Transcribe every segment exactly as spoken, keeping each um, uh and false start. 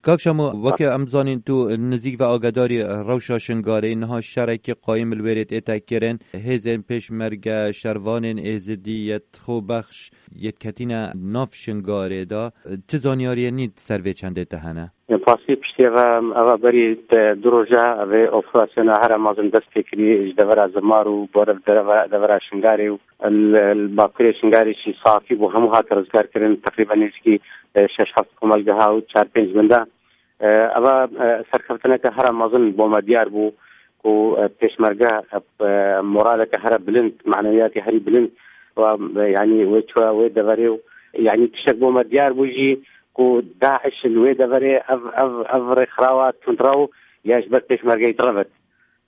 Kak Şemo, weke em zanîn tu nizîk ve agadarî rewşa Şingarê, niha şerekî qayîm li wêrê tête kirin. Hêzên pêşmerge, şervanên êzidî, yetxwebexş, yêt ketîne nav Şingarê de. Ti zanyariyê nî ser vê çendê te hene? Pasî piştî ve eva berî te du roja vê operasyona here mezin dest pê kirî ji devera Zimar û bore devera, devera Şingarê û li, li bakurê Şingarê jî safî bû, hemû hate rizgar kirin, teqrîben nêzîkî, e, şeş heft komelgeha û çar pênc min de. E, eva, e, serkeftineke here mezin bo me diyar bû ku, e, pêşmerge, e, moraleke here bilind, manewiyatê herî bilind, wa, e, yanî wê çûya wê deverê û yanî tiştek bo me diyar bû jî ku DAIŞ li wê deverê ev, ev, ev rêxirawa tundrew ya ji ber pêşmergeyê direvit.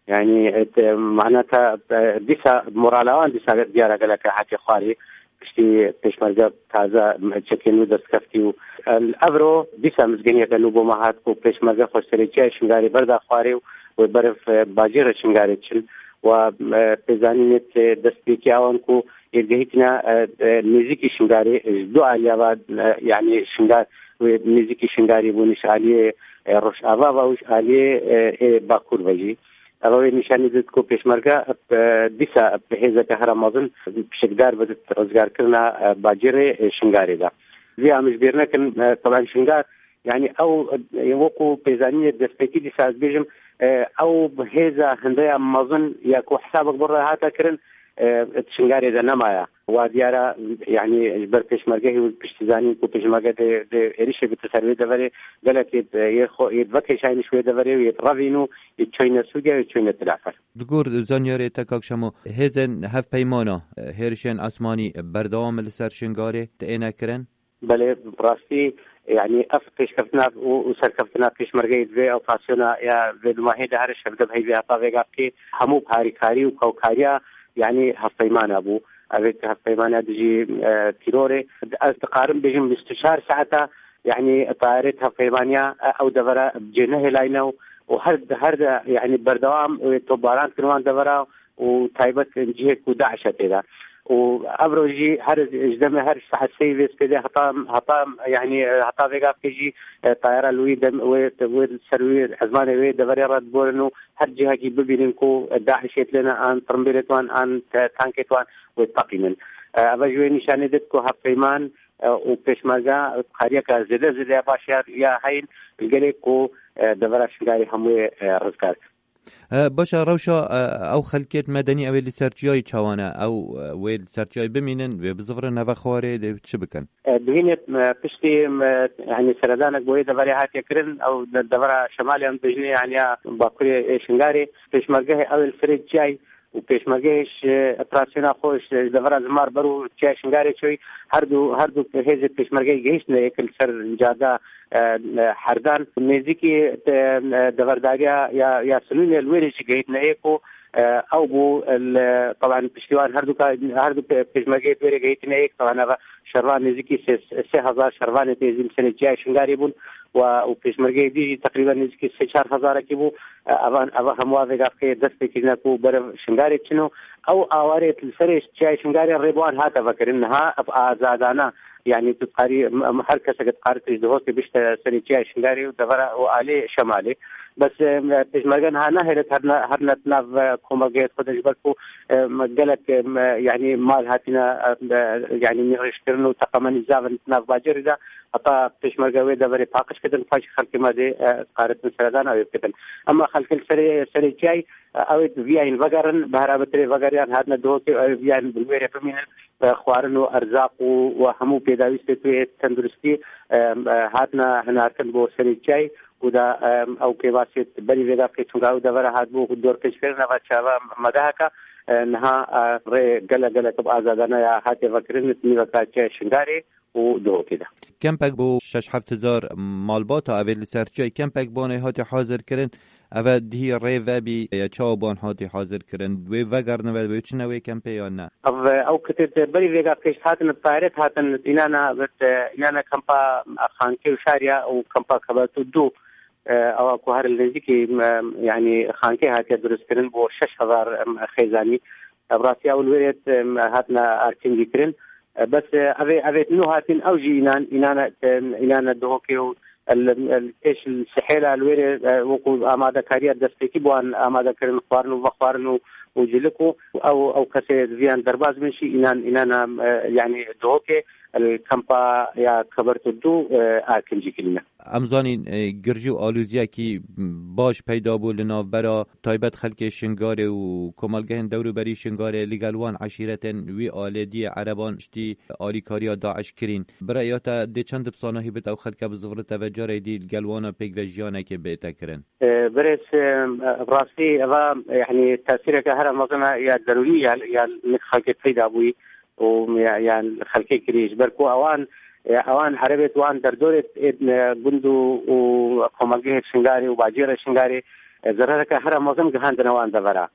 Yanî, e, te, mana te, e, dîsa morala wan dîsa diyara gelek hatiye xwarê. Piştî pêşmerge taze çekên wî dest keftî û, e, evro dîsa mizgeniyeke nû bo me hat ku pêşmerge xwe serê çiyayê Şingarê berda xwarê û wê beriv, e, bajêrê Şingarê çin. Wa, e, pêzanînê, e, destpêkî awan ku yê gehîtine, e, e, nêzîkî Şingarê, e, ji du aliya ve, e, yanî Şingar wê nêzîkî Şingarê bûn, ji aliyê, e, Rojava ve û ji aliyê, e, ê Bakur ve jî. Eva wê nîşanî did ku pêşmerge, e, dîsa bi hêzeke here mezin pişikdar bidit rizgarkirina, e, bacêrê, e, Şingarê de. Vî em ji bîr nekin, e, taban Şingar, yanî ew, e, wekû pêzanînê destpêkî dîsa ez bêjim, e, ew hêza hindeya mezin ya ku hesabek bi rê hate kirin, e, di Şingarê de nemaye. Wa diyara, yanî ji ber pêşmergehê û piştî zanîn ku pêşmerge dê, dê êrişê bike ser wê deverê, gelek yê, yê xwe, yê vekêşayîn ji wê deverê û yê revîn û yê çûyne Sûriye û yê çûyne Tilafel. Li gor zanyarê te, Kak Şemo, hêzên hevpeymana, hêrişên esmanî berdewam li ser Şingarê têne kirin? Belê, bi rastî, yanî ev pêşkeftina û, û serkeftina pêşmergeyê di vê operasyona ya vê dumahê de here şevde bi heyvê heta vêga bikê, hemû bi harîkarî û kewkariya, yanî hevpeymana bû. Ev ê hevpeymana dijî, e, tîrorê. Ez dikarim bêjim bîst û çar saeta, yanî tayarê hevpeymaniya, e, ew devera cê nehêlayne û, û her, her de, yanî berdewam, e, topbaran kirin wan devera û taybet cihê ku DAIŞ e tê de. Û evro jî her ji demê her saet sê vê spêdê heta, heta, yanî, heta vêga bike jî, e, tayara li wî dem, wê, wê ser wî ezmanê wê deverê re diborin û her cihekî bibînin ku DAIŞê têne an tirimbêlê wan an te-, tankê wan wê teqînin. E, eve ji wê nîşanê did ku hevpeyman, e, û pêşmerge kariyeke zêde zêde ya baş ya, ya heyîn li gelê ku, e, devera Şingarê hemûyê, e, rizgar kir. E, baş e, rewşa, e, ew xelkêt medenî ew ê li ser çiyayê çawan e? Ew, e, wê li ser çiyayê bimînin, wê bizivirin nava xwarê, dê çi bikin? E, bihînê, e, piştî, e, yanî seredanek bo wê deverê hatiye kirin, ew de-, devera şemalê em dibêjinê, yanî ya bakurê ê Şingarê, pêşmergehê ew ê li serê çiyayê û pêşmergehê ji operasyona xwe ji, ji devera Zimar ber û çiyayê Şingarê çûyî, her du, her du hêzê pêşmergeyê gihîştine yek li ser cada, e, e, herdan. Nêzîkî, e, e, deverdariya ya, ya Sinûnê li wêrê jî gehîtine ê ku, e, ew bû, e, li, taban piştî wan her du ka-, her du pê-, pêşmergeyê wêrê gehîtine ê, taban eva şervan nêzîkî sê, sê hezar şervanê têzî li serê çiyayê Şingarê bûn, wa û pêşmergeyê dî jî teqrîben nêzîkî sê çar hezarekî bû. E, evan, eva hemû vêga bike dest pê kirine ku berev Şingarê çin û ew awarê li serê çiyayê Şingarê rê bi wan hate vekirin. Niha ev azadana, yanî tu dikarî, em, em, her kesek dikare tu ji Duhokê bişte serê çiyayê Şingarê û devera û alê şemalê. Bes, em, pêşmerge niha nahêle herine, herine nav, e, komelgehê xwe de ji ber ku, em, gelek, em, yanî mal hatine, em, yanî nîqîşkirin û teqemenî zav in nav bacêrê de. Heta pêşmerge wê deverê paqij kirin, paşê xelkê me dê, e, dikare seredana wê bikin. Ema xelkê li serê, serê çiyayê, e, ew ê viyayîn vegerin, bi herabetirê vegeriyan hatine Duhokê, ew ê viyayîn bi wêrê bimînin, e, xwarin û erzaq û, û hemû pêdawîstê tu yê tenduristî, e, e, hatine hinartin bo serê çiyayê û da, e, ew pêvasê berî vêga bike, çunka ew devera hatibû dorpêçkirin, eva çava me de heke, e, niha, e, rê gelek gelek bi azadana ya hatiye vekirin, nîveka çiyayê Şingarê û Duhokê de. Kempek bo şeş heft hezar malbata ev ê li ser çiyayê kempek bo wan ê hatî hazir kirin. Ev ê dihî rê vebî ya çawa bo wan hatî hazir kirin? Wê vegerine ve wê çine wê kempê yan ne? Ev, ew kitê te berî vêga pêş hatin, tayrê hatin, înana, înan e kempa Xankê û Şariya û kempa Kebetû du, e, ewa ku her li nêzîkî, e, yanî Xankê hatiye duristkirin bo şeş hezar, e, xêzanî. Ev rastiya û li wê rê, e, hatine artîngî kirin. E, bes, e, ev ê, ev ê nû hatin, ew jî înan, înan e, e, înan e Duhokê û, El, el pêş li Sihêla li wêrê, e, wekû amadekariya destpêkî bi wan amade kirin, xwarin û vexwarin û, û cilik û ew, ew kesê viyan derbas bin jî înan, înan, e, yanî Duhokê, el kampa ya Kebertu du, e, a kincî kirîne. Em zanîn, e, girjî û aloziyekî baş peyda bû li navbera taybet xelkê Şingarê û komelgehên dewrûberî Şingarê li gel wan eşîretên wî alêdiyê ereban piştî alîkariya DAIŞ kirîn. Bi rêya te dê çend bi sanahî bit ew xelke bi zivirite ve carê dî li gel wana pêk ve jiyanekê bête kirin? E, birêz, e, rastî eva, yanî tesîreke here mezin e ya derûnî ya, ya nik xelkê peyda bûyî û ya, ya xelkê kirî. Ji ber ku ewan, e, ewan erebêt wan derdorêt ê, e, gund û, û komelgehê Şingarê û bacêrê Şingarê, e, zerereke here mezin gihandine wan devera.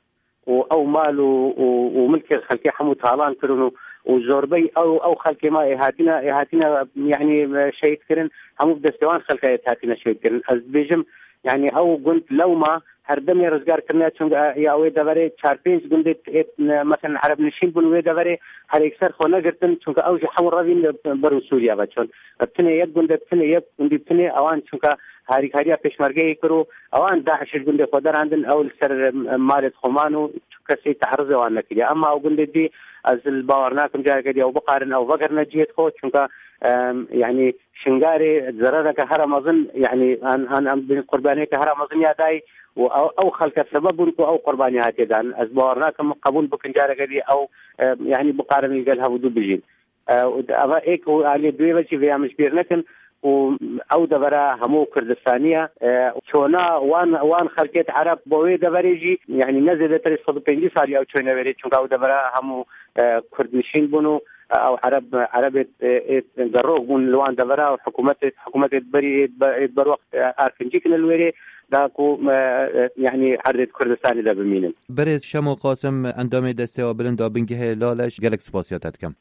û ew mal û, û, û milkê xelkê hemû talan kirin û, û zorbey ew, ew xelkê ma ê hatine, ê hatine, yanî, e, şehîd kirin, hemû bi destê wan xelka ê hatine şehîd kirin. Ez dibêjim, yanî ew gund lewma her demê rizgar kirine, çunka, e, ya wê deverê çar pênc gundê ê, e, mesela Ereb nişîn bûn wê deverê, her yekser xwe negirtin, çunka ew ji hemû revîn ber û Sûriye ve çûn. Bi tinê yek gundê, bi tinê yek gundî, bi tinê ewan çunka harîkariya pêşmergeyê kir û ewan DAIŞ ji gundê xwe derandin, ew li ser, em, malê xwe man û tu kesê te'rizê wan nekiriye. Emma ew gundê dî ez li bawer nakim careke dî ew biqarin ew vegerine cihê xwe, çunka, em, yanî Şingarê zerereke here mezin, yanî an, an, em bin qurbaniyeke here mezin ya dayî û ew, ew xelke sebeb bûn ku ew qurbanî hatiye dan. Ez bawer nakim qebûl bikin careke dî ew, em, yanî biqarin li gel hevûdu bijîn. E, û eva êk û aliyê duê ve jî vêya min ji bîr nekin û ew devera hemû Kurdistanî ye. E, çona wan, wan xelkêt Ereb bo wê deverê jî, yanî ne zêdetirê sed û pêncî salî ew çûne wêrê, çunka ew devera hemû, e, Kurd nişîn bûn û, e, ew Ereb, Erebê, e, ê gerok bûn li wan devera û hikûmetê, hikûmetê berî ê, ê berwext, e, arkincî kine li wêrê, da ku, e, e, yanî erdê Kurdistanê de bimînin. Birêz Şemo Qasim, endamê Desteya Bilind a Bingehê Laleş, gelek spasiya te dikim.